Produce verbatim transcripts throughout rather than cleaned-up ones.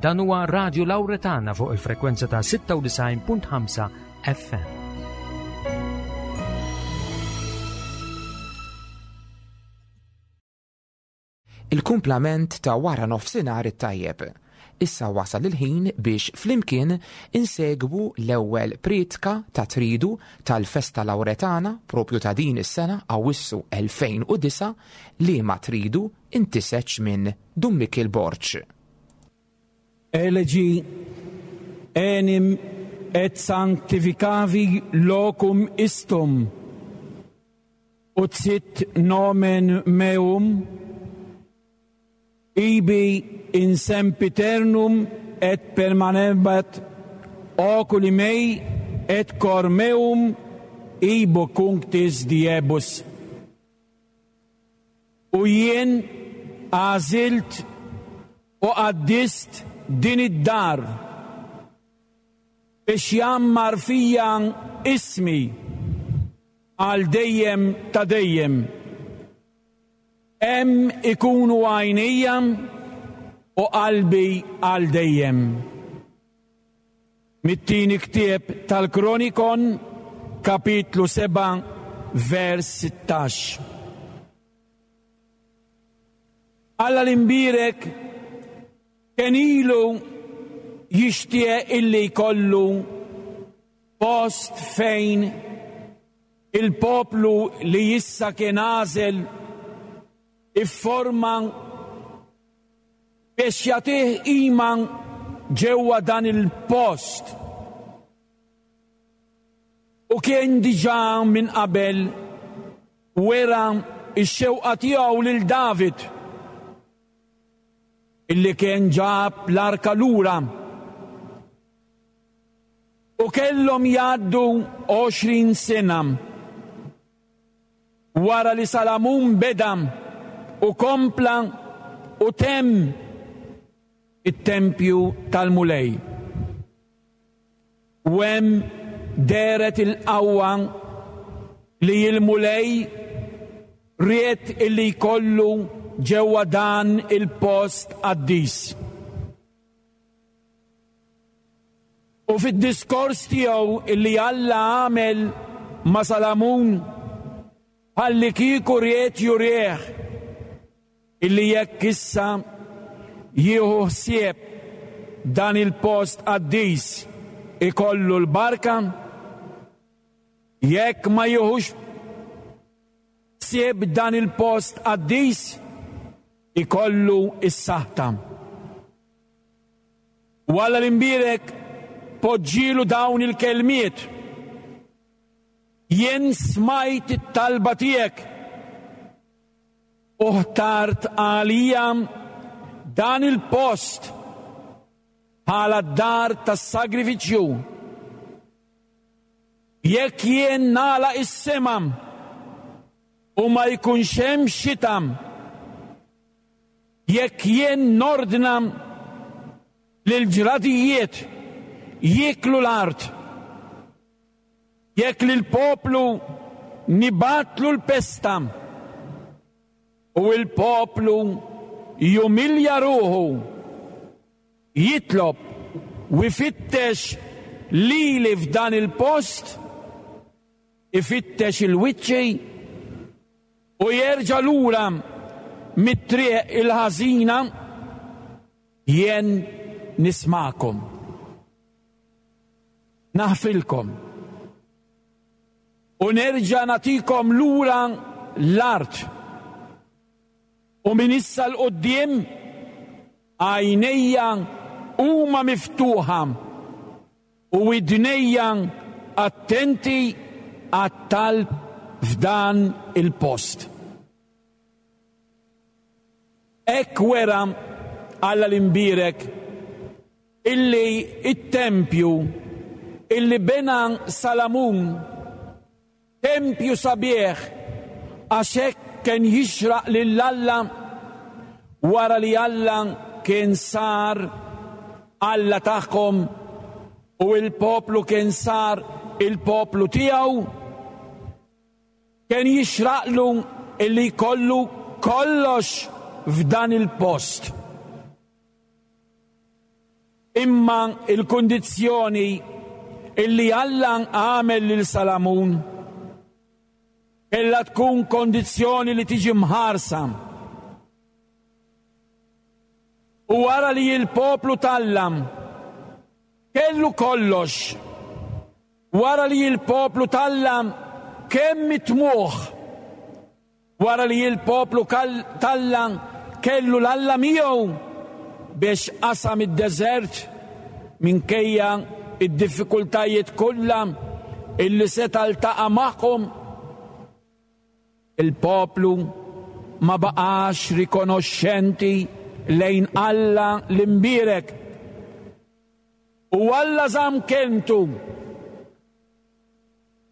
Dan huwa Radio Lauretana fuq il-frekwenza ta' sitta u disgħin punt ħamsa F M. Il-kumplament ta' wara nofsinhar it-tajjeb. Issa wasal il-ħin biex flimkien insegwu l-ewwel priedka ta' Tridu tal-Festa Lauretana propju ta' din is-sena, Awissu elfejn u disgħa, li ma tridu intiseċ minn Dun Mikil Borg. Elegi enim et sanctificavi locum istum, ut sit nomen meum ibi in sempiternum et permanebat oculi mei et cor meum ibo cunctis diebus. U jien għażilt u qaddist din id-dar biex jgħammar fiha ismi għal dejjem ta' dejjem. Hemm ikunu għajnejja u qalbi għal dejjem. Mit-tieni ktieb tal-Kronikon, kapitlu sebgħa, vers sittax. Alla l-imbierek kien ilu jixtieq illi jkollu post fejn il-poplu li issa kien għażel ifforma biex jagħtih qima ġewwa dan il-post. U kien diġà minn qabel wera x-xewqa tiegħu lil David illi kien ġab l-arka lura. U kellhom jgħaddu għoxrin sena wara li Salamun beda u kompla u temm it-tempju tal-Mulej. U hemm dehret il-qawwa li il-Mulej ried illi jkollu ġewwa dan il-post qaddis. U fid-diskors tiegħu illi Alla għamel ma' Salamun, ħalli kieku ried jurih illi jekk issa jieħu ħsieb dan il-post qaddis ikollu l-barka, jekk ma jieħux ħsieb dan il-post qaddis ikollu is-saħta. U Alla l-imbierek poġġielu dawn il-kelmiet: "Jien smajt it-talba tiegħek u ħtart għalija dan il-post bħala d-dar tas-sagrifiċċju. Jekk jien nagħlaq is-sema u ma jkunx hemm xita, jekk jien nordna lil ġradijiet jieklu l-art, jekk lil poplu nibgħatlu l-pesta u il-poplu jumilja ruħu, jitlob u jfittex lili f'dan il-post, ifittex il-wiċċi u jerġa' lura mit-triq il-ħażina, jien nismagħkom. Naħfrilkom. U nerġa' nagħtikom lura l-art. U minn issa 'l quddiem għajnejja huma miftuħa u widnejja attenti għat-talb f'dan il-post." Hekk wera Alla l-imbierek illi it-tempju illi bena Salamun, tempju sabiħ, għax hekk kien jixraq lil Alla wara li Alla kien sar Alla tagħhom u il-poplu kien sar il-poplu tiegħu, kien jixraqlu illi jkollu kollox f'dan il-post. Imma il-kundizzjoni illi Alla għamel lil Salamun kellha tkun kondizzjoni li tiġi mħarsa. U wara li l-poplu t'Alla kellu kollox, wara li l-poplu t'Alla kemm mitmuħ, wara li l-poplu t'Alla kellu l-Alla miegħu biex qasam id-deżert minkejja id-diffikultajiet kollha illi seta' ltaqa' magħhom, il-poplu ma baqax rikonoxxenti lejn Alla l-imbierek. U Alla żamm kelmtu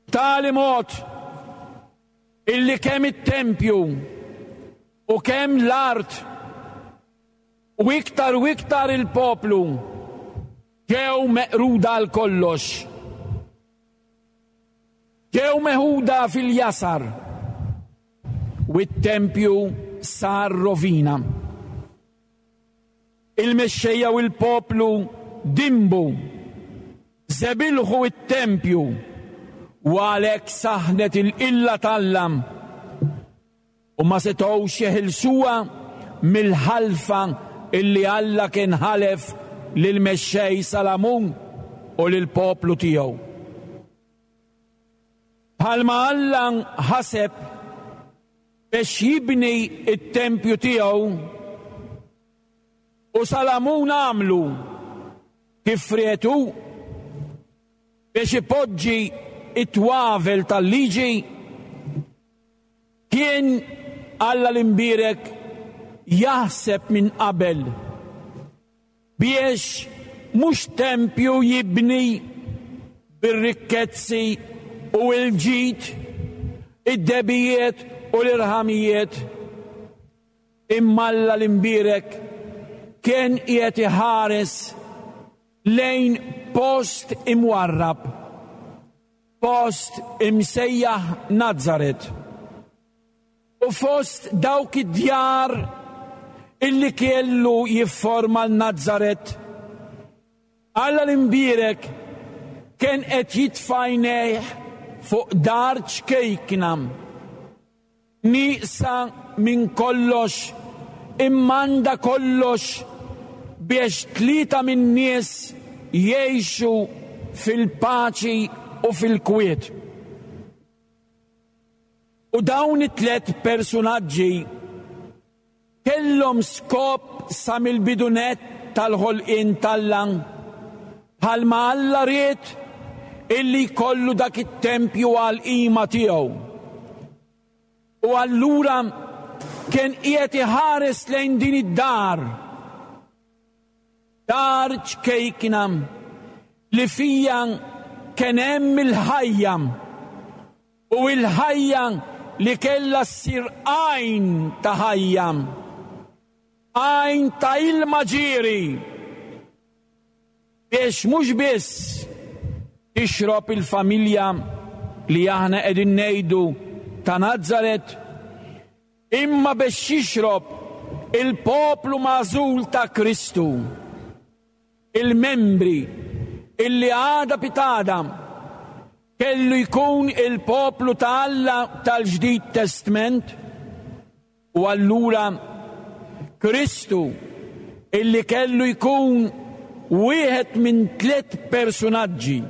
b'tali mod illi kemm it-tempju u kemm l-art u iktar u iktar il-poplu ġew meqruda għal kollox. Ġew meħuda fil-jasar u t-tempju sar rovina. Il-mexxejja u l-poplu dimbu, żebilħu it-tempju u għalhekk saħnet il-qilla t'Alla u ma setgħux jeħilsuha mill-ħalfa illi Alla kien ħalef lill-mexxej Salamun u lill-poplu tiegħu. Bħalma Alla ħaseb biex jibni it-tempju tiegħu u Salamun għamlu kif rietu biex ipoġġi it-twavel tal-liġi, kien Alla l-imbierek jaħseb minn qabel biex mhux tempju jibni bir-rikkezzi u l-ġid, id-debijiet u l-irħamijiet, imma Alla l-imbierek kien qiegħed iħares lejn post imwarrab, post imsejjaħ Nazaret. U fost dawk id-djar illi kellu jifforma l-Nazaret, Alla l-imbierek kien qed jitfa' għajnejh fuq dar ċkejkna, nieqsa minn kollox, imma għandha kollox biex tlieta min-nies jgħixu fil-paċi u fil-kwiet. U dawn it-tliet personaġġi kellhom skop sa mill-bidunet tal-ħolqien t'Alla, bħalma Alla ried illi jkollu dak it-tempju għall-qima tiegħu. U allura kien qiegħed iħares lejn din id-dar, dar ċkejkna li fija kien hemm il-ħajja, u il-ħajja li kellha ssir għajn ta' ħajja, għajn ta' ilma ġieri, biex mhux biss tixrob il-familja li aħna qegħdin ngħidu ta' Nazaret, imma biex jixrob il-poplu magħżul ta' Kristu, il-membri illi għada pitada kellu jkun il-poplu ta' Alla tal-Ġdid Testament. U allura Kristu illi kellu jkun wieħed minn tliet personaġġi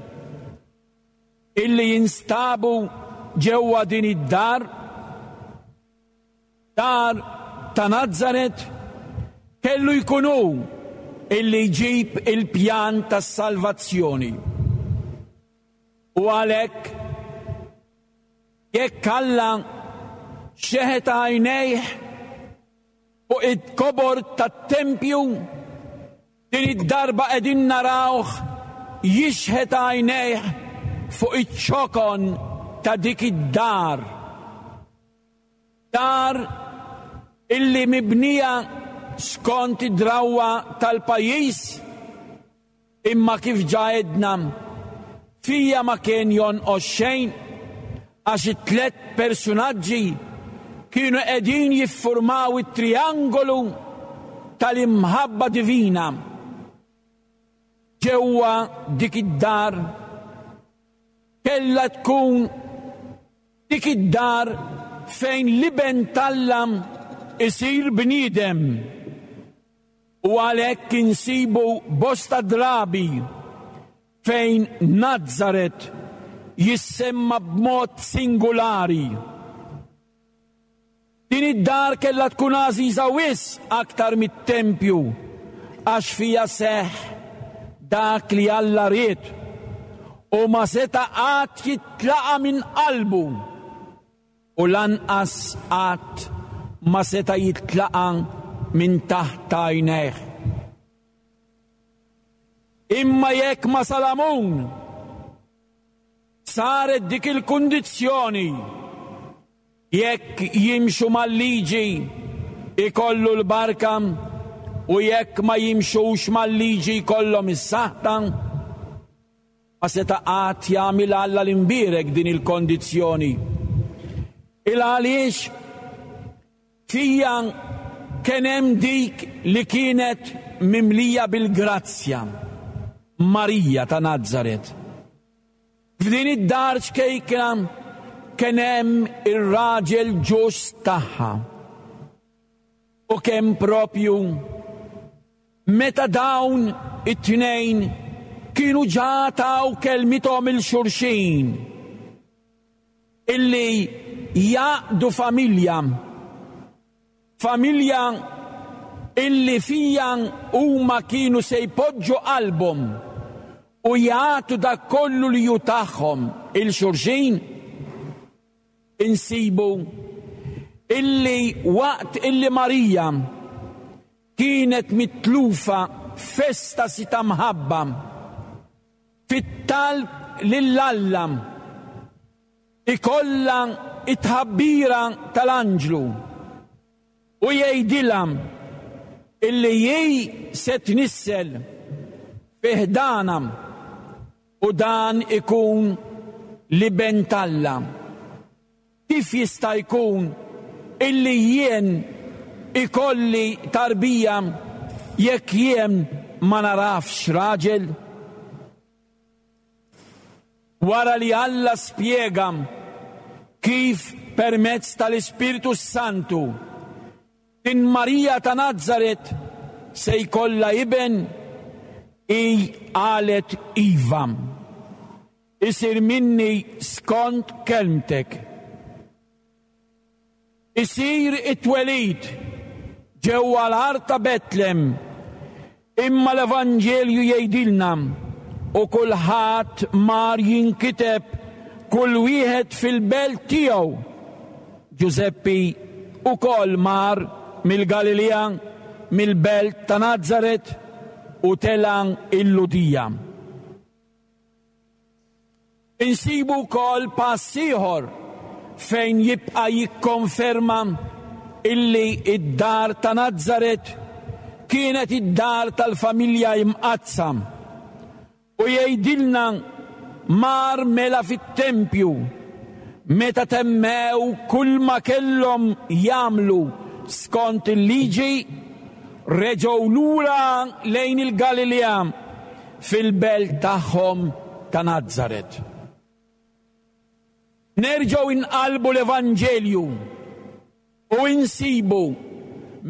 illi jinstabu ġewwa din id-dar, dar ta' Nazaret, kellu jkun hu illi jġib il-pjan tas-salvazzjoni. U għalhekk jekk Alla xeħet għajnejh fuq it-kobor tat-tempju, din id-darba qegħdin narawh jixħet għajnejh fuq iċ-ċokon ta' dik id-dar. Dar illi mibnija skont id-drawwa tal-pajjiż, imma kif ġa għedna fija ma kien jonqos xejn, għax it-tliet personaġġi kienu qegħdin jiffurmaw it-triangolu tal-imħabba divina. ġewwa dik id-dar kellha tkun dik id-dar fejn l-Iben t'Alla isir bniedem. U għalhekk insibu bosta drabi fejn Nazaret jissemma b'mod singolari. Din id-dar kellha tkun għażiża wisq aktar mit-tempju, għax fija seħħ dak li Alla ried u ma seta' qatt jitlaqa' minn qalbu u lanqas qatt ma seta' jitlaqa' minn taħt għajnejh. Imma jekk ma' Salamun saret dik il-kundizzjoni, jekk jimxu mal-liġi ikollu l-barka u jekk ma jimxux mal-liġi jkollhom is-saħta, ma seta' qatt jagħmel Alla l-imbierek din il-kondizzjoni. Il għaliex fija kien hemm dik li kienet mimlija bil-grazzja, Marija ta' Nazaret. F'din id-dar ċkejkna kien hemm ir-raġel ġust tagħha. U kemm propju meta dawn it-tnejn kienu ġa taw kelmithom il-xulxin illi jaqdu familja, familja illi fija huma kienu se jpoġġu qalbhom u jagħtu dak kollu li hu tagħhom il-xulxin, insibu illi waqt illi Marija kienet mitlufa f'estasi ta' mħabba fit-talb lil Alla ikollha it-tħabbira tal-anġlu u jgħidilha illi hi se tnissel fi ħdana u dan ikun l-Iben t'Alla. Kif jista' jkun illi jien ikolli tarbija jekk jien ma narafx raġel? Wara li Alla spjega kif permezz tal-Ispirtu Santu din Marija ta' Nazaret se jkollha iben, hi qalet iva, isir minni skont kelmtek. Isir it-twelid ġewwa l-art ta' Betlem, imma l-Evanġelju jgħidilna u kulħadd mar jinkiteb kull wieħed fil-belt tiegħu. Ġużeppi ukoll mar mill-Galilea, mill-belt ta' Nazaret u tela' il-Lhudija. Insibu wkoll pass ieħor fejn jibqa' jikkonferma illi id-dar ta' Nazaret kienet id-dar tal-familja imqaddsa. U jgħidilna mar mela fit-tempju meta temmew kull ma kellhom jagħmlu skont il-liġi, reġgħu lura lejn il-Galilea fil-belt tagħhom ta' Nazaret. Nerġgħu inqalbu l-Evanġelju u insibu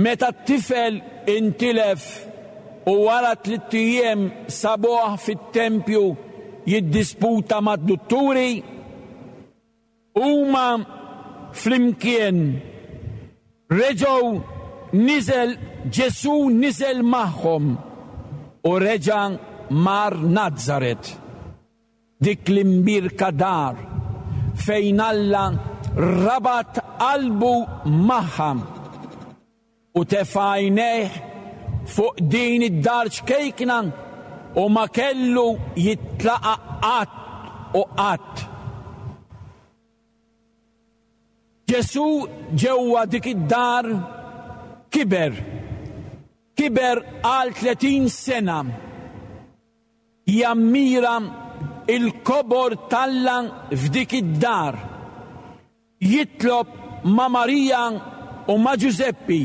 meta t-tifel intilef u wara tliet ijiem sabuh fit-tempju jiddisputa mad-dutturi, huma flimkien reġgħu niżel Ġesù niżel magħhom u reġa' mar Nazaret, dik l-imbierka dar fejn Alla rabat qalbu magħha u tefa' għajnejh fuq din id-dar ċkejkna u ma kellu jitlaqa' qatt u qatt. Ġesù ġewwa dik id-dar kiber, kiber għal tletin sena, jammira il-kobor t'Alla f'dik id-dar, jitlob ma' Marija u ma' Ġużeppi.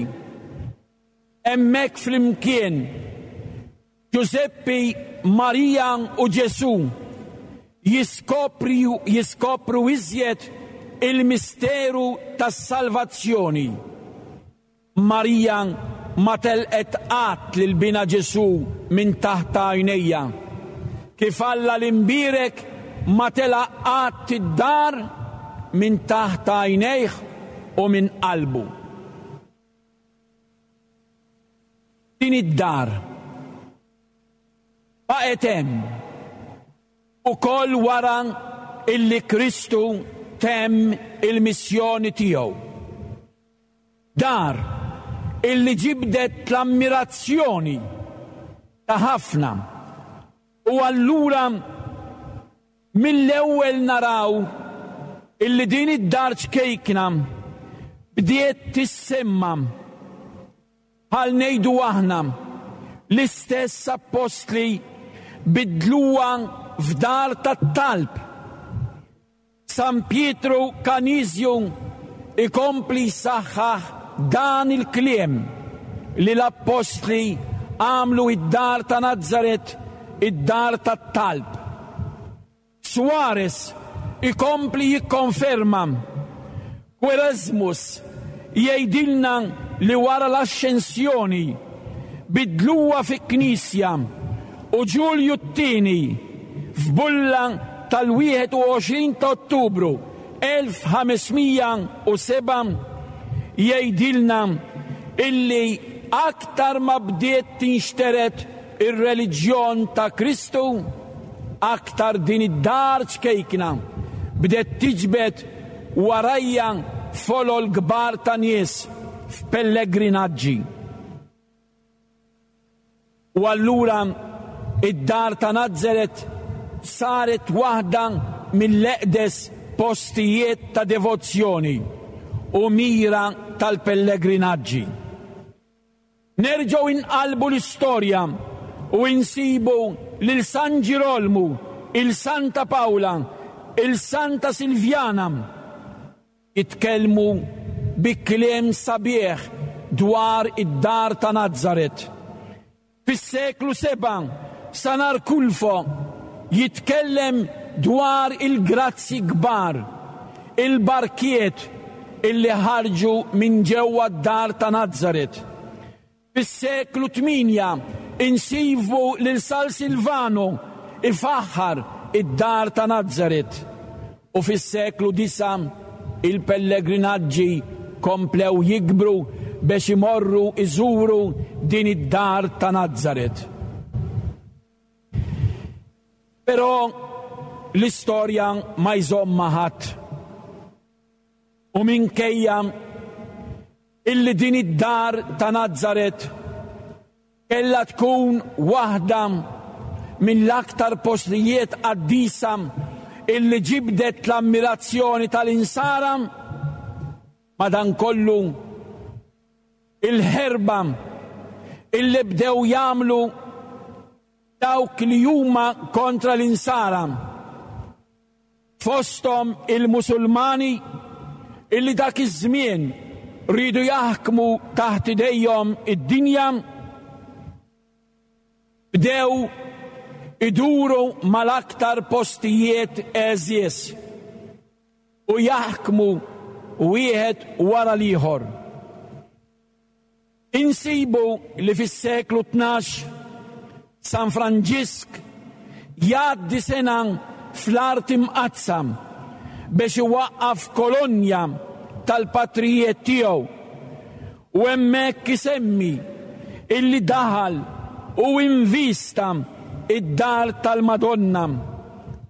Hemmhekk flimkien Ġużeppi, Marija u Ġesù jiskopru, jiskopru iżjed il-misteru tas-salvazzjoni. Marija ma telqet qatt lil binha Ġesù minn taħt għajnejha. Kif Alla l-imbierek ma telaq qatt id-dar minn taħt għajnejh u minn qalbu. Din id-dar baqgħet hemm ukoll wara illi Kristu temm il-missjoni tiegħu. Dar illi ġibdet l-ammirazzjoni ta' ħafna. U allura mill-ewwel naraw illi din id-dar ċkejkna bdiet tissemma bħal ngħidu aħna l-istess appostli bidluha f'dar tat-talb. San Pietru Kanizju ikompli jsaħħaħ dan il-kliem li l-appostli għamlu id-dar ta' Nazaret id-dar tat-talb. Suarez ikompli jikkonferma. Quaresmus jgħidilna li wara l-ascensjoni bidluha fi knisja u Ġulju t-tieni f'bulla tal-wieħed u għoxrin ta' Ottubru elf ħamesmija u seba' jgħidilna illi aktar ma bdiet tinxtered ir-reliġjon ta' Kristu, aktar din id-dar ċkejkna bdiet tiġbed warajja folol kbar ta' nies f'pellegrinaġġi. U allura id-dar ta' Nazaret saret waħda mill-eqdes postijiet ta' devozzjoni u mira tal-pellegrinaġġi. Nerġgħu inqalbu l-istorja u insibu lil San Ġirolmu, il Santa Paola, il Santa Silvjana jitkellmu bi kliem sabiħ dwar id-dar ta' Nazaret. Fis-seklu seba' San Arkulfo jitkellem dwar il-grazzi kbar, il-barkiet illi ħarġu minn ġewwa d-dar ta' Nazaret. Fis-seklu tminja insibu lil San Silvano ifaħħar id-dar ta' Nazaret. U fis-seklu disa il-pellegrinaġġi komplew jikbru biex imorru iżuru din id-dar ta' Nazaret. Però l-istorja ma jżommha ħadd. U minkejja illi din id-dar ta' Nazaret kellha tkun waħda mill-aktar postijiet qaddisa illi ġibdet l-ammirazzjoni tal-insara, madankollu il-ħerba illi bdew jagħmlu dawk li huma kontra l-insara, fosthom il-Musulmani illi dak iż-żmien rridu jaħkmu taħt idejhom id-dinja, bdew iduru mal-aktar postijiet għeżież u jaħkmu wieħed wara l-ieħor. Insibu li fis-seklu tnax San Franġisk jgħaddi sena fl-art imqaddsa biex iwaqqaf kolonja tal-patrijiet tiegħu, u hemmhekk isemmi illi daħal u invista id-dar tal-Madonna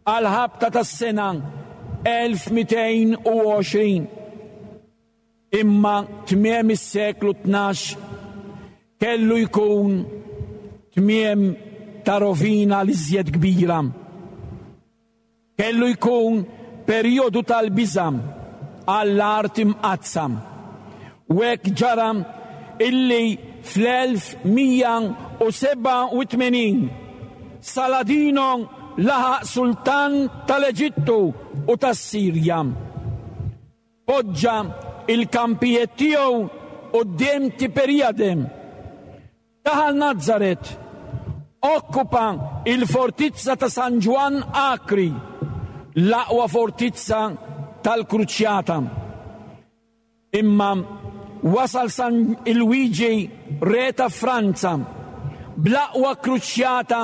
għal ħabta tas-sena elf mitejn u għoxrin. Imma tmiem is-seklu tnax kellu jkun tmiem ta' rovina l-iżjed kbira. Kellu jkun perjodu tal-biża' għall-art imqaddsa. U hekk ġara illi fl-elf mija u seba' u tmenin Saladino laħaq sultan tal-Eġittu u tas-Sirja. Poġġa il-kampijiet tiegħu quddiem Tiberijade. Daħal Nazaret Okkupa il-fortizza ta' San Ġwann Akri, l-aqwa fortizza tal-Kruċjata. Imma wasal San Luigi, re ta' Franza, bl-aqwa kruċjata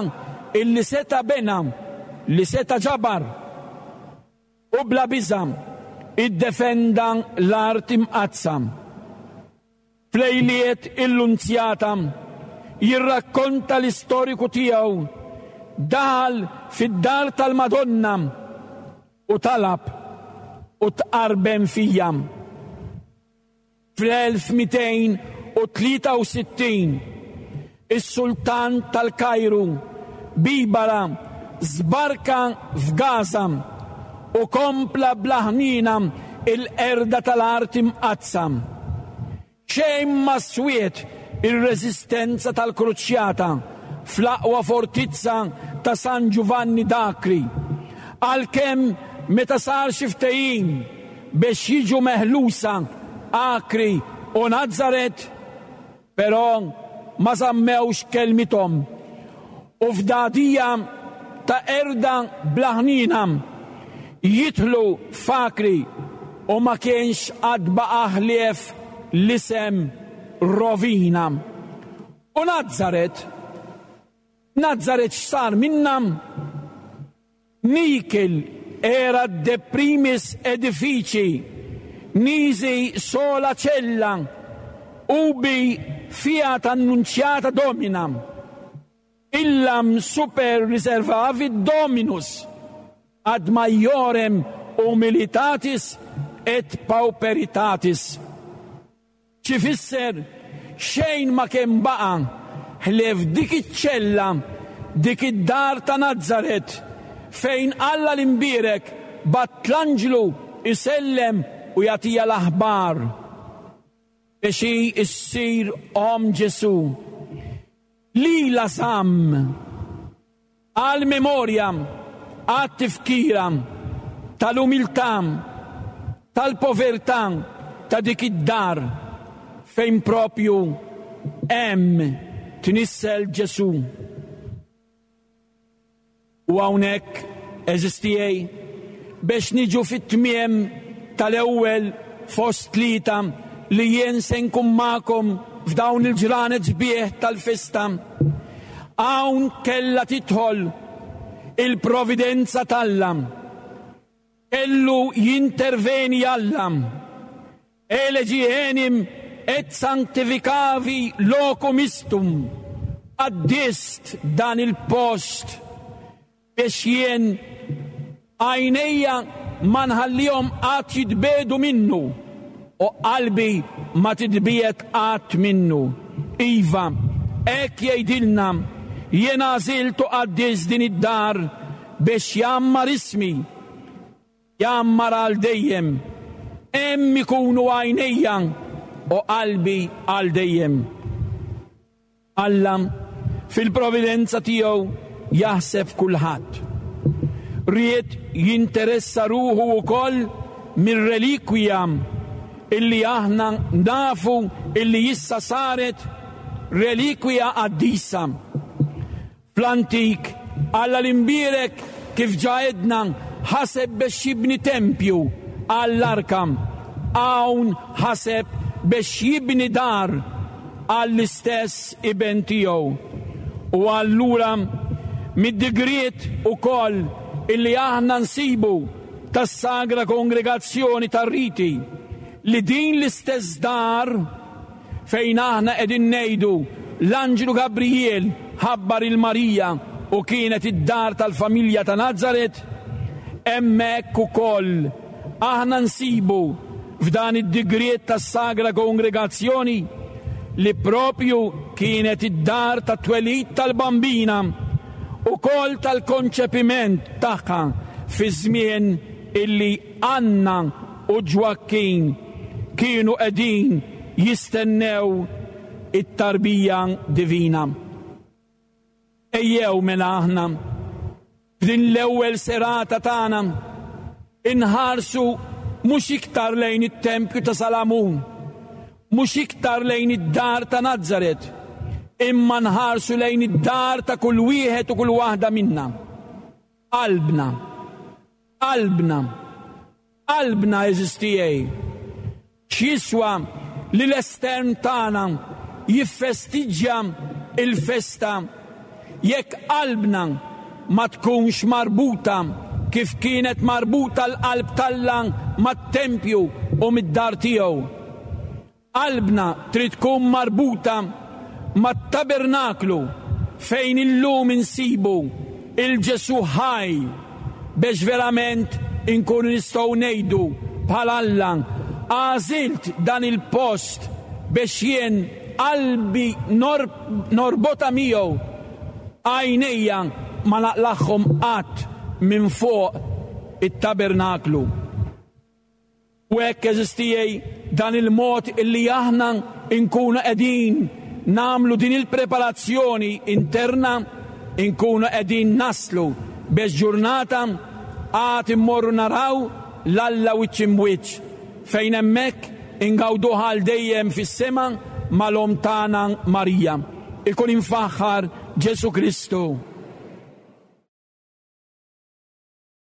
illi seta' bena, li seta' ġabar, u bla biża' iddefenda l-art imqaddsa. F'lejliet il-Lunzjata jirrakkonta l-istoriku tiegħu, daħal fid-dar tal-Madonna u talab u tqarben fija. Fl-elf mitejn u tlieta u sittin is-sultan tal-Kajru Bibara żbarka f'Gaza u kompla bla ħnina il-qerda tal-art imqaddsa. Xejn ma swiet ir-reżistenza tal-Kruċjata fl-aqwa fortizza ta' San Giovanni d'Acri, għalkemm meta sar xi ftehim biex jiġu meħlusa Akri u Nazaret, però ma żammewx kelmithom u f'dadija ta' erda bla ħnina jidħlu f'Akri u ma kienx għad baqa' ħlief l-isem rovina. U Nazaret, Nazaret x'sar minna? Nikil era de primis edifici, nisi sola cella, ubi fiat annunciata domina, illam super reservavit dominus, ad maiorem humilitatis et pauperitatis. X'ifisser xejn ma kien baqa' ħlief dik iċ-ċella, dik id-dar ta' Nazaret, fejn Alla l-imbierek bat l-anġlu isellem u jagħtija l-aħbar biex hi ssir om Ġesu. Lila żamm għal memorja, għat tifkira tal-umiltà, tal-povertà ta' dik id-dar fejn propju hemm tnissel Ġesu. U hawnhekk eżistijej biex niġu fit-tmiem tal-ewwel fost tlieta li jien se nkun magħkom f'dawn il-ġranet sbieħ tal-festa. Hawn kellha tidħol il-providenza t'Alla. Kellu jinterveni Alla. Elegi enim et sanctificavi locum istum. Qaddist dan il-post biex jien għajnejja ma nħallihom qatt jitbedu minnu u qalbi ma titbiet qatt minnu. Iva, hekk jgħidilna, jien għażilt u qaddis din id-dar biex jammar ismi, jammar għal dejjem. Hemm ikunu għajnejja u qalbi għal dejjem. Alla fil-providenza tiegħu jaħseb kulħadd. Ried jinteressa ruħu wkoll mir-relikwija illi aħna nafu illi issa saret relikwija qaddisa. Fl-antik, Alla l-imbierek kif ġa għedna ħaseb biex jibni tempju għall-arka. Hawn ħaseb biex jibni dar għall-istess iben tiegħu. U allura mid-digriet ukoll illi aħna nsibu tas-Sagra Kongregazzjoni tar-Riti li din l-istess dar fejn aħna qegħdin ngħidu l-Anġlu Gabriel ħabbar il-Marija u kienet id-dar tal-familja ta' Nazaret, hemmhekk ukoll aħna nsibu f'dan id-digriet tas-Sagra Kongregazzjoni li propju kienet id-dar ta' twelid tal-Bambina u kol tal-konċepiment tagħha fi żmien illi Anna u Ġwakkin kienu qegħdin jistennew it-tarbija divina. Ejjew mela aħna f'din l-ewwel serata tagħna inħarsu mhux iktar lejn it-tempju ta' Salamun, mhux iktar lejn id-dar ta' Nazaret, imma nħarsu lejn id-dar ta' kull wieħed u kull waħda minna. Qalbna, qalbna, qalbna għeżież tiegħi. X'jiswa li l-estern tagħna jiffestiġġja il-festa jekk qalbna ma tkunx marbuta kif kienet marbuta l-qalb t'Alla mat-tempju u mid-dar tiegħu. Qalbna trid tkun marbuta mat-tabernaklu fejn illum insibu il-Ġesu ħaj biex verament inkunu nistgħu ngħidu bħal Alla għażilt dan il-post biex jien qalbi norbotha miegħu, għajnejja ma naqlagħhom qatt minn fuq it-tabernaklu. U hekk, għeżież tiegħi, dan il-mod illi aħna nkunu qegħdin nagħmlu din il-preparazzjoni interna, inkunu qegħdin naslu biex ġurnata għad immorru naraw 'l Alla wiċċ imb'wiċċ, fejn hemmhekk ingawdu għal dejjem fis-sema mal-omm tagħna Marija. Ikun imfaħħar Ġesu Kristu.